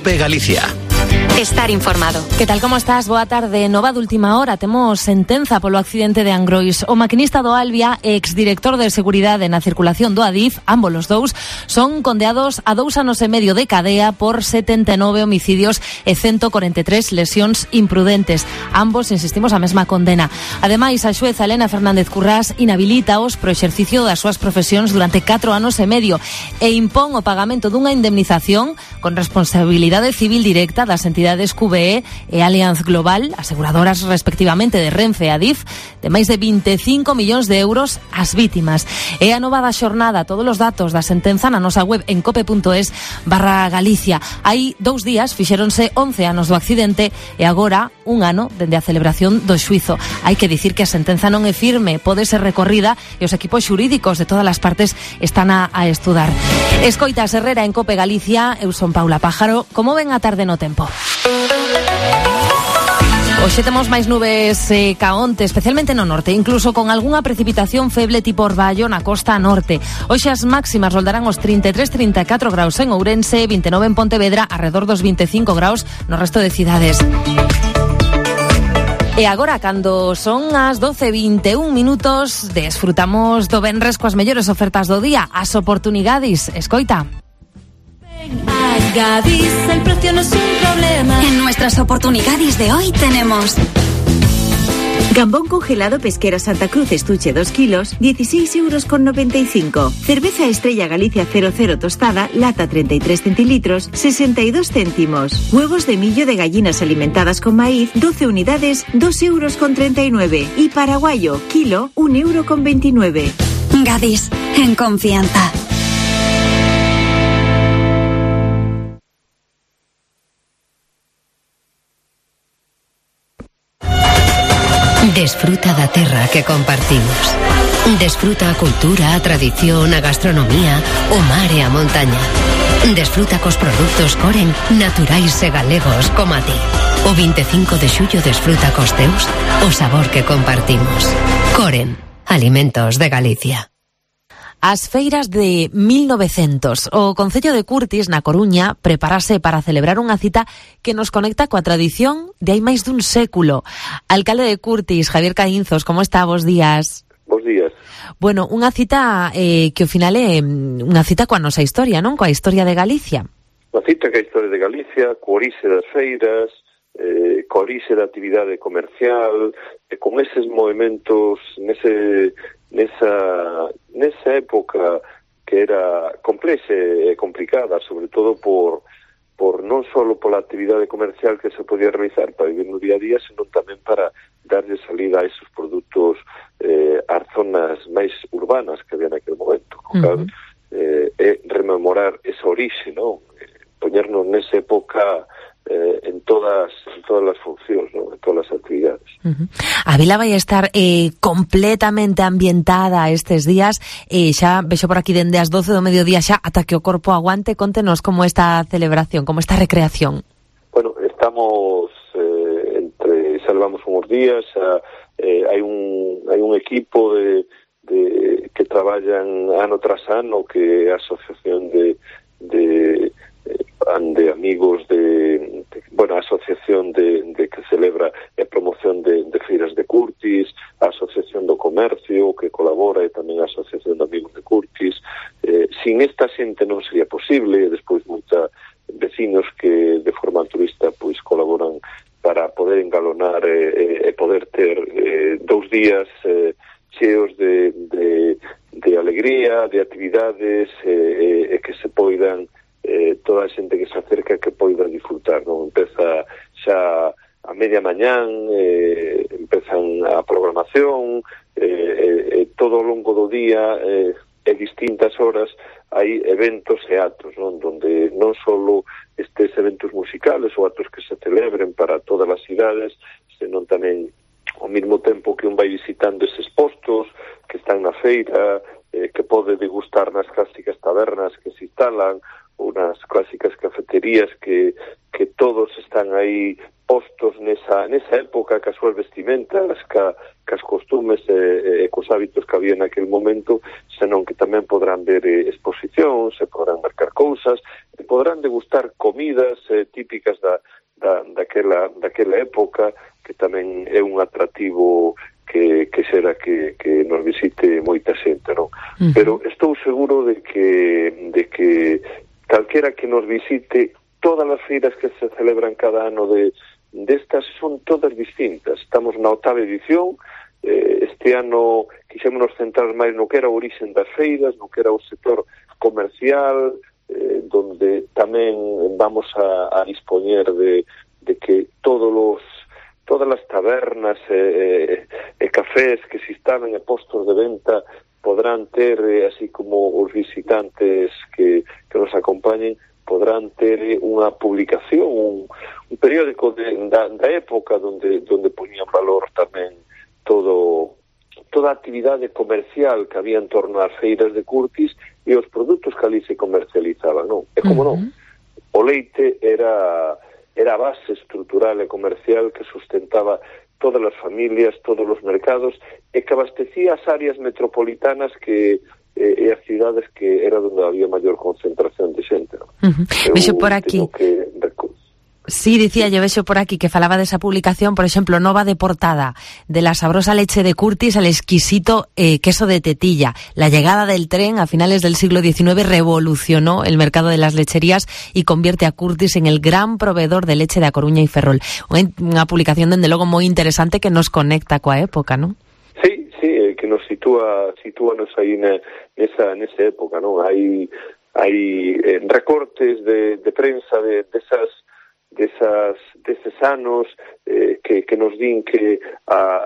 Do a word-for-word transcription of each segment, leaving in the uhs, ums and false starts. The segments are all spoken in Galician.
COPE Galicia. Estar informado. Que tal, como estás? Boa tarde. Nova de última hora, temos sentenza polo accidente de Angrois. O maquinista do Albia e exdirector de seguridade na circulación do Adif, ambos os dous, son condeados a dous anos e medio de cadea por setenta e nove homicidios e ciento cuarenta e tres lesións imprudentes. Ambos, insistimos, a mesma condena. Ademais, a xueza Elena Fernández Currás inhabilitaos pro exercicio das súas profesións durante catro anos e medio e impón o pagamento dunha indemnización con responsabilidade civil directa das entidades Q B E e Allianz Global, aseguradoras respectivamente de Renfe e Adif, de máis de veinticinco millóns de euros ás vítimas. E a nova da xornada, todos os datos da sentenza na nosa web en cope.es barra Galicia. Hai dous días fixéronse once anos do accidente e agora un ano dende a celebración do xuizo. Hai que dicir que a sentenza non é firme, pode ser recorrida e os equipos xurídicos de todas as partes están a, a estudar. Escoitas Herrera en Cope Galicia, eu son Paula Pájaro. Como ven a tarde no tempo? Hoxe temos máis nubes eh, ca onte, especialmente no norte, incluso con algunha precipitación feble tipo orballo na costa norte. Hoxe as máximas roldarán os trinta e tres a trinta e catro graus en Ourense, vinte e nove en Pontevedra, arredor dos veinticinco graus no resto de cidades. E agora, cando son as doce e vinte e un minutos, desfrutamos do venres coas mellores ofertas do día, as oportunidades. Escoita. A Gadis, el precio no es un problema. En nuestras oportunidades de hoy tenemos gambón congelado Pesquera Santa Cruz estuche dos kilos, dieciséis euros con noventa y cinco. Cerveza Estrella Galicia cero cero tostada, lata treinta y tres centilitros, sesenta y dos céntimos. Huevos de millo de gallinas alimentadas con maíz, doce unidades, dos euros con treinta y nueve. Y paraguayo, kilo, un euro con veintinueve. Gadis, en confianza. Desfruta da terra que compartimos. Desfruta a cultura, a tradición, a gastronomía, o mar e a montaña. Desfruta cos produtos Coren, naturais e galegos como a ti. O veinticinco de xullo desfruta cos teus o sabor que compartimos. Coren, alimentos de Galicia. As feiras de mil novecientos. O Concello de Curtis, na Coruña, prepárase para celebrar unha cita que nos conecta coa tradición de hai máis dun século. Alcalde de Curtis, Javier Caínzos, como está? Bos días. Bos días. Bueno, unha cita eh, que ao final é unha cita coa nosa historia, non? Coa historia de Galicia. Unha cita coa historia de Galicia, coa orixe das feiras, eh, coa orixe da actividade comercial, e con eses movimentos, nese... Nesa, nesa época que era complexa e complicada, sobre todo por, por non só pola actividade comercial que se podía realizar para vivir no día a día, senón tamén para darlle salida a esos produtos eh, ás zonas máis urbanas que había naquele momento. Uh-huh. eh, e rememorar esa orixe, non? Eh, poñernos nesa época Eh, en todas en todas as funcións, ¿no? En todas as actividades. Uh-huh. A vila vai estar eh, completamente ambientada estes días, e eh, xa vexo por aquí dende as doce do mediodía xa ata que o corpo aguante. Contenos como esta celebración, como esta recreación. Bueno, estamos eh, entre, xa levamos uns días, xa, eh, hai un hai un equipo de, de que traballan ano tras ano, que é a asociación de de de amigos de, de bueno, a asociación de, de que celebra a promoción de, de feiras de Curtis, a asociación do comercio que colabora, e tamén a asociación de amigos de Curtis. Eh, sin esta xente non sería posible, e despois moita vecinos que de forma altruista pois colaboran para poder engalonar e eh, eh, poder ter eh, dous días eh, cheos de, de, de alegría, de actividades e eh, eh, que se poidan Eh, toda a xente que se acerca que poida disfrutar, non? Empeza xa a media mañán, eh, empezan a programación, eh, eh, todo ao longo do día, eh, e distintas horas hai eventos e actos, non? Donde non só estes eventos musicales ou actos que se celebren para todas as cidades, senón tamén ao mesmo tempo que un vai visitando eses postos que están na feira, eh, que pode degustar nas clásicas tabernas que se instalan, unas clásicas cafeterías que, que todos están aí postos nesa, nesa época, cas súas vestimentas, ca, cas costumes e, e cos hábitos que había naquele momento, senón que tamén podrán ver eh, exposicións, se podrán marcar cousas, e poderán degustar comidas eh, típicas da, da, daquela, daquela época, que tamén é un atractivo que, que será que, que nos visite moita xente, non? Uh-huh. Pero estou seguro de que, de que calquera que nos visite, todas as feiras que se celebran cada ano de destas son todas distintas. Estamos na octava edición. Eh, este ano quixémonos centrar máis no que era o orixen das feiras, no que era o sector comercial, eh, donde tamén vamos a, a dispoñer de, de que todos los, todas as tabernas e eh, eh, cafés que se instalen e postos de venta podrán ter, eh, así como os visitantes que, que nos acompañen, podrán ter unha publicación, un, un periódico de, da, da época donde, donde poñían valor tamén todo, toda a actividade comercial que había en torno ás feiras de Curtis e os produtos que ali se comercializaban, non? E como uh-huh. non, o leite era, era a base estrutural e comercial que sustentaba todas as familias, todos os mercados, e que abastecía as áreas metropolitanas que eh, e as cidades que era onde había maior concentración de xente, non? Uh-huh. Vexo por aquí. Que... Sí, dicía yo, vexo por aquí que falaba desa publicación, por exemplo, nova de portada, de la sabrosa leche de Curtis al exquisito eh, queso de tetilla. La llegada del tren a finales del siglo diecinueve revolucionó el mercado de las lecherías y convierte a Curtis en el gran proveedor de leche de A Coruña y Ferrol. Unha publicación, dende logo, moi interesante que nos conecta coa época, non? Sí, sí, que nos sitúa, sitúanos aí na, nesa, nesa época, non? Hai, hai eh, recortes de, de prensa de, de esas desas, deses anos eh, que, que nos din que a,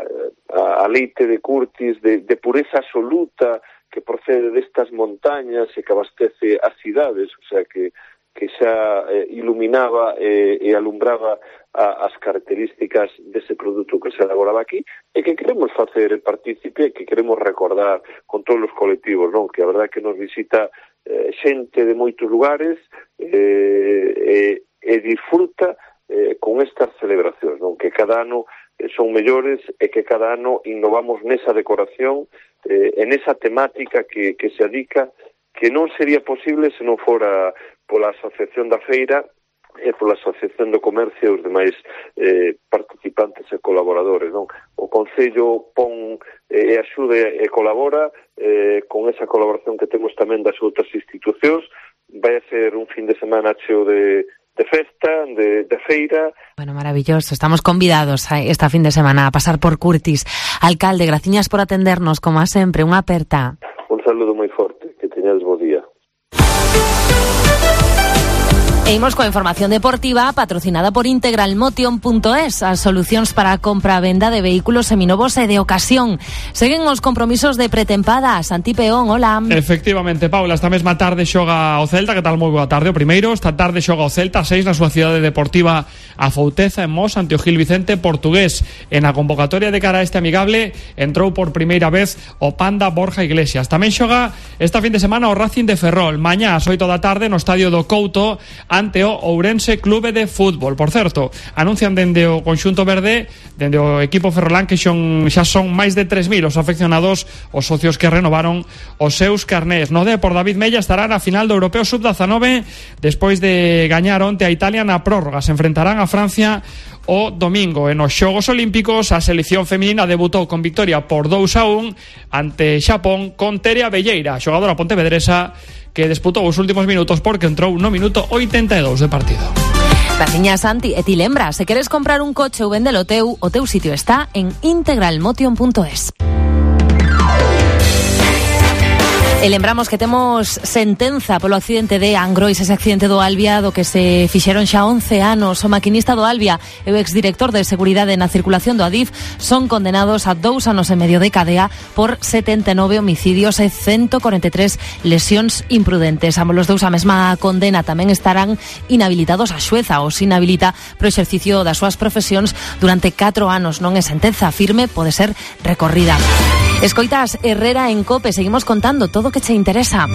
a, a leite de Curtis de, de pureza absoluta que procede destas montañas e que abastece as cidades, o sea que, que xa eh, iluminaba eh, e alumbraba a, as características dese produto que se elaboraba aquí e que queremos facer partícipe, que queremos recordar con todos os colectivos, non? Que a verdade que nos visita eh, xente de moitos lugares eh, eh, e disfruta eh, con estas celebracións, non? Que cada ano eh, son mellores e que cada ano innovamos nesa decoración, eh, en esa temática que, que se adica, que non sería posible se non fora pola Asociación da Feira e pola Asociación do Comercio e os demais eh, participantes e colaboradores, non? O Concello pon e eh, axude e colabora eh, con esa colaboración que temos tamén das outras institucións. Vai a ser un fin de semana cheo de de festa, de, de feira. Bueno, maravilloso. Estamos convidados a esta fin de semana a pasar por Curtis. Alcalde, graciñas por atendernos, como a sempre. Unha aperta. Un saludo moi forte. Que teñades bo día. E imos coa información deportiva patrocinada por integralmotion punto es, as solucións para a compra e venda de vehículos seminovos e de ocasión. Seguen os compromisos de pretempada. Santi Peón, hola. Efectivamente, Paula, esta mesma tarde xoga o Celta. Que tal? Moi boa tarde. O primeiro, esta tarde xoga o Celta a seis na súa cidade deportiva a Fouteza, en Mos, ante o Gil Vicente portugués. En a convocatoria de cara a este amigable entrou por primeira vez o Panda Borja Iglesias. Tamén xoga esta fin de semana o Racing de Ferrol. Mañá ás oito da tarde no estadio do Couto ante o Ourense Clube de Fútbol. Por certo, anuncian dende o conxunto verde, dende o equipo ferrolán, que xon, xa son máis de tres mil os afeccionados, os socios que renovaron os seus carnés. No Depor, David Mella estará na final do Europeo sub dezanove despois de gañar onte a Italia na prórroga. Se enfrentarán a Francia o domingo. En os Xogos Olímpicos, a selección feminina debutou con victoria por dous a un ante Xapón con Tere Abelleira, xogadora pontevedresa, que disputou os últimos minutos porque entrou no minuto oitenta e dous de partido. Graciñas, Santi. E ti lembra, se queres comprar un coche ou vendelo teu, o teu sitio está en integralmotion punto es. E lembramos que temos sentenza polo accidente de Angrois, ese accidente do Albia do que se fixeron xa once anos. O maquinista do Albia e o exdirector de Seguridade na Circulación do Adif son condenados a dous anos e medio de cadea por setenta e nove homicidios e ciento cuarenta e tres lesións imprudentes. Ambos os dous a mesma condena. Tamén estarán inhabilitados a xueza, os inhabilita pro exercicio das súas profesións durante catro anos. Non é sentenza firme, pode ser recorrida. Escoitas Herrera en COPE, seguimos contando todo o que che interesa.